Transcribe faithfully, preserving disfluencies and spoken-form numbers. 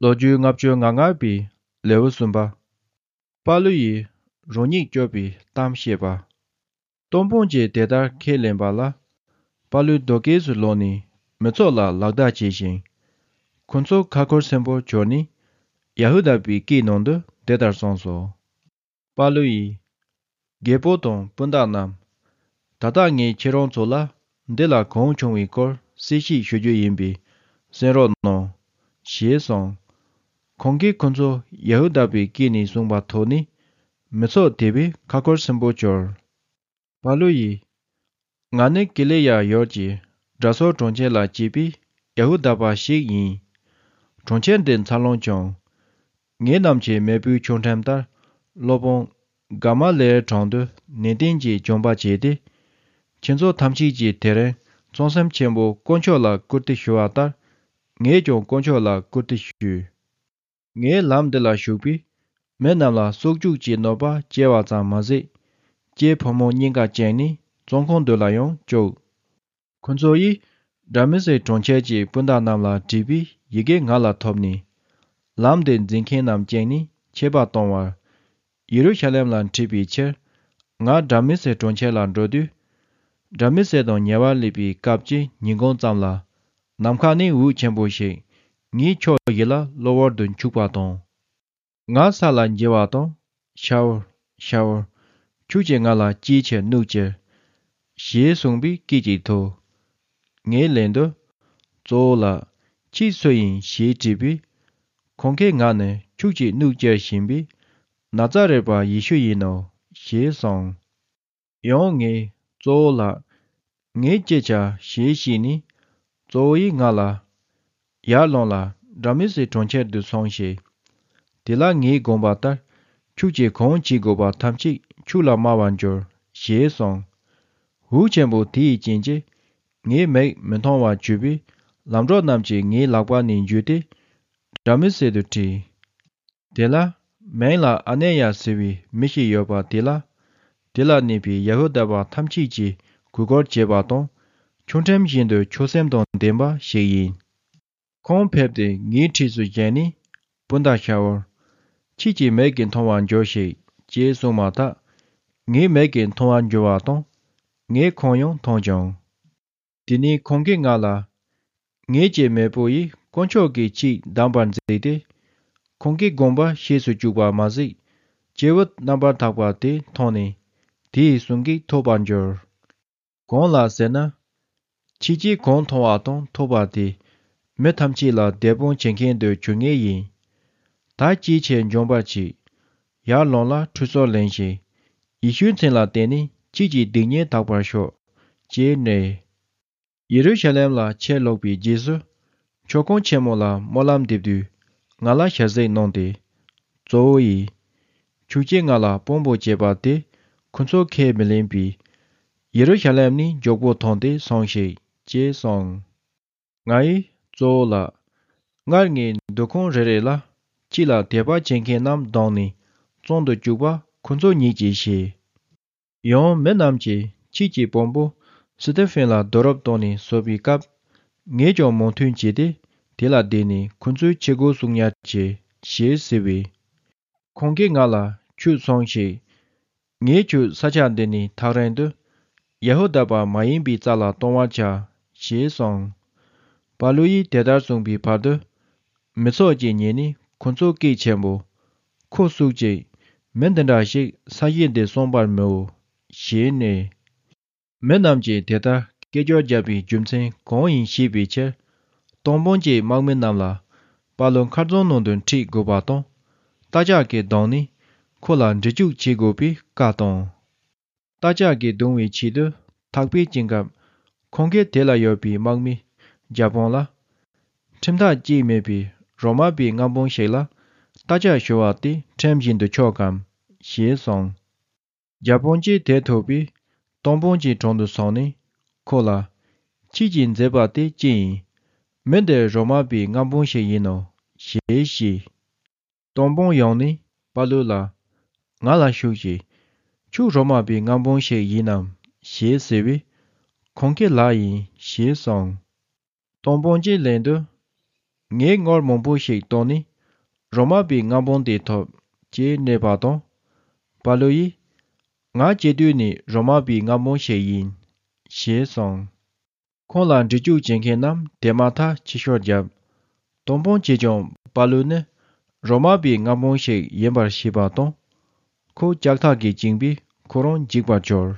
ལོ་རྒྱུས་ལྔ་བཅུ་ང་ལྔ་པའི་ལེའུ་གསུམ་པ། པ་ལུ་ཡིས་རང་ཉིད་སྐྱོབ་པའི་གཏམ་བཤད་པ། སྟོང་དཔོན་གྱིས་དེ་ལྟར་ཁས་ལེན་པ་ལ། པ་ལུ་རྡོ་སྐས་སུ་ལོག་ནས་མི་ཚོགས་ལ་ལག་བརྡ་བྱས་ཤིང་། ཁོ་ཚོ་ཁ་འཁོར་སེམས་པོ་གྱུར་ནས་ཡ་ཧུ་དཱ་པའི་སྐད་ནང་དུ་དེ་ལྟར་གསུངས་སོ། པ་ལུ་ཡིས། རྒད་པོ་དང་སྤུན་ཟླ་རྣམས། ད་ལྟ་ངས་ཁྱེད་རང་ཚོ་ལ་འདི་ལ་གང་བྱུང་བའི་སྐོར་གསལ་བཤད་ཞུ་རྒྱུ་ཡིན་པས་གསན་རོགས་གནང་། ཞེས་གསུངས། ཁོང་གིས་ཁོ་ཚོ་ཡ་ཧུ་དཱ་པའི་སྐད་ནས་གསུངས་པ་ཐོས་ནས་མི་ཚོགས་དེ་བས་ཁ་འཁོར་སེམས་པོ་གྱུར། པ་ལུ་ཡིས། ང་ནི་ཀི་ལི་ཡ་ཡུལ་གྱི་དྲ་སོ་གྲོང་ཁྱེར་ལ་སྐྱེས་པའི་ཡ་ཧུ་དཱ་པ་ཞིག་ཡིན། གྲོང་ཁྱེར་འདི་འཚར་ལོངས་བྱུང་། ངེད་རྣམས་ཀྱི་མེས་པོའི་ཆོས་ཁྲིམས་ལྟར་སློབ་དཔོན་ག་མ་ལའི་དྲུང་དུ་ནན་ཏན་གྱིས་སྦྱོང་བ་བྱས་ཏེ། ཁྱེད་ཚོ་ཐམས་ཅད་ཀྱིས་དེ་རིང་གཙང་སེམས་ཆེན་པོས་དཀོན་མཆོག་ལ་བཀུར་སྟི་ཞུ་བ་ལྟར། ངས་ཀྱང་དཀོན་མཆོག་ལ་བཀུར་སྟི་ཞུ། ངས་ལམ་འདི་ལ་ཞུགས་པས། མི་རྣམས་ལ་སྲོག་གཅོད་ཀྱི་གནོད་པ་སྐྱེལ་བ་ཙམ་མ་ཟད། སྐྱེས་ཕོ་མོ་གཉིས་ཀ་བཅིངས་ནས་བཙོན་ཁང་དུ་ལ་ཡང་བཅུག། ཁོ་ཚོ་ཡིས་དྲ་མི་སེ་གྲོང་ཁྱེར་གྱི་སྤུན་ཟླ་རྣམས་ལ་བྲིས་པའི་ཡི་གེ་ང་ལ་ཐོབ་ནས། ལམ་དེ་འཛིན་མཁན་རྣམས་བཅིངས་ནས་ཆད་པ་གཏོང་བར། ཡེ་རུ་ཤ་ལེམ་ལ་ཁྲིད་པའི་ཕྱིར། ང་དྲ་མི་སེ་གྲོང་ཁྱེར་ལ་འགྲོ་དུས། དྲ་མི་སེ་དང་ཉེ་བར་སླེབས་པའི་སྐབས་ཀྱི་ཉིན་གུང་ཙམ་ལ། ནམ་མཁའ་ནས་འོད་ཆེན་པོ་ཞིག་ངའི་ཕྱོགས་བཞི་ལ་གློ་བུར་དུ་འཁྱུག་པ་དང་། ང་ས་ལ་འགྱེལ་བ་དང་། ཤའོ། ཤའོ། ཁྱོད་ཀྱིས་ང་ལ་ཅིའི་ཕྱིར་གནོད་ཀྱི། ཞེས་གསུངས་པའི་སྐད་ཅིག་ཐོས། ངའི་ལན་དུ། གཙོ་བོ་ལགས། ཁྱེད་སུ་ཡིན་ཞེས་དྲིས་པས། ཁོང་གིས་ང་ནི་ཁྱོད་ཀྱིས་གནོད་སྐྱེལ་བཞིན་པའི་ན་ཙཱ་རེད་པ་ཡེ་ཤུ་ཡིན་ནོ། ཞེས་གསུངས། ཡང་ངས་གཙོ་བོ་ལགས། ངས་ཅི་བྱ་ཞེས་བཤད་ནས། གཙོ་བོ་ཡིས་ང་ལ། ཡར་ལོངས་ལ་དྲ་མི་སེ་གྲོང་ཁྱེར་དུ་སོང་ཞིག། དེ་ལ་ངས་དགོངས་པ་ལྟར་ཁྱོད་ཀྱིས་གང་བྱེད་དགོས་པ་ཐམས་ཅད་ཁྱོད་ལ་སྨྲ་བར་འགྱུར་ཞེས་གསུངས། འོད་ཆེན་པོ་དེའི་རྐྱེན་གྱིས་ངའི་མིག་མི་མཐོང་བར་གྱུར་པས། ལམ་གྲོགས་རྣམས་ཀྱིས་ངའི་ལག་པ་ནས་འཇུས་ཏེ་དྲ་མི་སེ་དུ་ཁྲིད། དེ་ལ་མིང་ལ་ཨ་ནེ་ཡ་ཟེར་བའི་མི་ཞིག་ཡོད་པ་དེ་ལ། དེ་ལ་གནས་པའི་ཡ་ཧུ་དཱ་པ་ཐམས་ཅད་ཀྱིས་གུས་བཀུར་བྱེད་པ་དང་། ཆོས་ཁྲིམས་བཞིན་དུ་ཆོས་སེམས་དང་ལྡན་པ་ཞིག་ཡིན། ཁོང་ཕེབས་ཏེ་ངའི་འཁྲིས་སུ་བཞེངས་ནས། སྤུན་ཟླ་ཤའོ། ཁྱེད་ཀྱི་མིག་གིས་མཐོང་བར་འགྱུར་ཞིག་ཅེས་གསུངས་མ་ཐག་ངའི་མིག་གིས་མཐོང་བར་འགྱུར་བ་དང་། ངས་ཁོང་ཡང་མཐོང་བྱུང་། དེ་ནས་ཁོང་གིས་ང་ལ། ངེད་ཀྱི་མེས་པོ་ཡིས་དཀོན་མཆོག་གི་ཆེད་བདམས་པར་མཛད་དེ། ཁོང་གི་དགོངས་པ་ཤེས་སུ་བཅུག་པ་མ་ཟད། སྐྱེས་བུ་རྣམ་པར་དག་པ་དེ་མཐོང་ནས། དེའི་གསུང་གིས་ཐོས་པར་འགྱུར། གང་ལགས་ཟེར་ན། ཁྱེད་ཀྱིས་གང་མཐོང་བ་དང་ཐོས་པ་དེ། མི་ཐམས་ཅད་ལ་བདེན་དཔང་བྱེད་མཁན་དུ་གྱུར་ངེས་ཡིན། ད་ཅིའི་ཕྱིར་འཇོན་པར་བྱེད། ཡར་ལོངས་ལ་ཁྲུས་གསོལ་ལེན་ཞིང་། ཡེ་ཤུའི་མཚན་ལ་བརྟེན་ནས་ཁྱེད་ཀྱི་སྡིག་ཉེས་དག་པར་ཤོག་ཅེས་སྨྲས། ཡེ་རུ་ཤ་ལེམ་ལ་ཕྱིར་ལོག་པའི་རྗེས་སུ། མཆོད་ཁང་ཆེན་མོ་ལ་སྨོན་ལམ་འདེབས་དུས། ང་ལ་ཞལ་གཟིགས་གནང་སྟེ། གཙོ་བོ་ཡིས། ཁྱོད་ཀྱིས་ང་ལ་དཔང་པོ་བྱས་པ་དེ། ཁོ་ཚོ་ཁས་མི་ལེན་པས། ཡེ་རུ་ཤ་ལེམ་ནས་མགྱོགས་པོ་ཐོན་ཏེ་སོང་ཞིག་ཅེས་གསུངས། ང་ཡིས་གཙོ་བོ་ལགས། སྔར་ངས་འདུ་ཁང་རེ་རེ་ལ། ཁྱེད་ལ་དད་པ་བྱེད་མཁན་རྣམས་བརྡུངས་ནས། བཙོན་དུ་བཅུག་པ་ཁོ་ཚོ་ཉིད་ཀྱིས་ཤེས། ཡང་མི་རྣམས་ཀྱིས་ཁྱེད་ཀྱི་དཔོན་པོ་སི་ཏི་ཕིན་ལ་རྡོ་རུབ་བཏང་ནས་གསོད་པའི་སྐབས། ངས་ཀྱང་མོས་མཐུན་བྱས་ཏེ། དེ་ལ་བརྟེན་ནས་ཁོ་ཚོའི་ཆས་གོས་གསོག་ཉར་བྱས་ཞེས་ཟེར་བས། ཁོང་གིས་ང་ལ་ཁྱོད་སོང་ཞིག་ངས་ཁྱོད་ས་ཆ་འདི་ནས་ཐག་རིང་དུ། ཡ་ཧུ་དཱ་པ་མ་ཡིན་པའི་རྩ་ལ་གཏོང་བར་བྱ། ཞེས་གསུངས། པ་ལུ་ཡིས་དེ་ལྟར་གསུངས་པའི་བར་དུ། མི་ཚོགས་ཀྱིས་ཉན་ནས་ཁོ་ཚོ་སྐད་ཆེན་པོས། ཁོ་བཙུགས་ཅིག་མི་འདི་འདྲ་ཞིག་ས་གཞི་འདི་བསྲུང་བར་མི་འོས། ཞེས་སྨྲས། མི་རྣམས་ཀྱིས་དེ་ལྟར་སྐད་ཅོར་བརྒྱབ་པའི་རྒྱུ་མཚན་གང་ཡིན་ཤེས་པའི་ཕྱིར། སྟོང་དཔོན་གྱིས་དམག་མི་རྣམས་ལ། པ་ལུ་མཁར་རྫོང་ནང་དུ་ཁྲིད་དགོས་པ་དང་། རྟ་ལྕག་གིས་བརྡུངས་ནས། ཁོ་ལ་འདྲི་གཅོད་བྱེད་དགོས་པའི་བཀའ་བཏང་། རྟ་ལྕག་གིས་བརྡུང་བའི་ཆེད་དུ་ཐག་པས་བཅིངས་སྐབས། ཁོང་གིས་དེ་ལ་ཡོད་པའི་དམག་མི་བརྒྱ་དཔོན་ལ། ཁྲིམས་ཐག་བཅད་མེད་པའི་རོ་མ་པའི་མངའ་འབངས་ཤིག་ལ་རྟ་ལྕག་གཞུ་བ་དེ་ཁྲིམས་བཞིན་དུ་ཆོག་གམ། ཞེས་གསུངས། བརྒྱ་དཔོན་གྱིས་དེ་ཐོས་པས། སྟོང་དཔོན་གྱི་དྲུང་དུ་སོང་ནས་ཁོ་ལ། ཁྱེད་ཀྱིས་མཛད་པ་དེ་ཅི་ཡིན། མི་འདི་རོ་མ་པའི་མངའ་འབངས་ཤིག་ཡིན་ནོ། ཞེས་བཤད། སྟོང་དཔོན་ཡོང་ནས་པ་ལུ་ལ། ང་ལ་ཞུགས་ཤིག་ཁྱོད་རོ་མ་པའི་མངའ་འབངས་ཤིག་ཡིན་ནམ། ཞེས་ཟེར་བས། ཁོང་གིས་ལགས་ཡིན་ཞེས་གསུངས། སྟོང་དཔོན་གྱིས་ལན་དུ། ངས་དངུལ་མང་པོ་ཞིག་བཏང་ནས་ རོ་མ་པའི་རྔ་བོང་དེ་ཐོབ་ཅེས་སྨྲས་པ་དང་། པཱ་ལུ་ཡིས། ང་སྐྱེ་དུས་ནས་རོ་མ་པའི་རྔ་བོང་ཞིག་ཡིན། ཞེས་གསུངས། ཁོང་ལ་འདྲི་གཅོད་བྱེད་མཁན་རྣམས་དེ་མ་ཐག་ཕྱི་བཤོལ་བརྒྱབ། དོམ་དཔོན་གྱིས་ཀྱང་པཱ་ལུ་ནི་རོ་མ་པའི་རྔ་བོང་ཞིག་ཡིན་པར་ཤེས་པ་དང་། ཁོ་ལྕགས་ཐག་གིས་བཅིངས་པས་ཁོ་རང་འཇིགས་པར་གྱུར།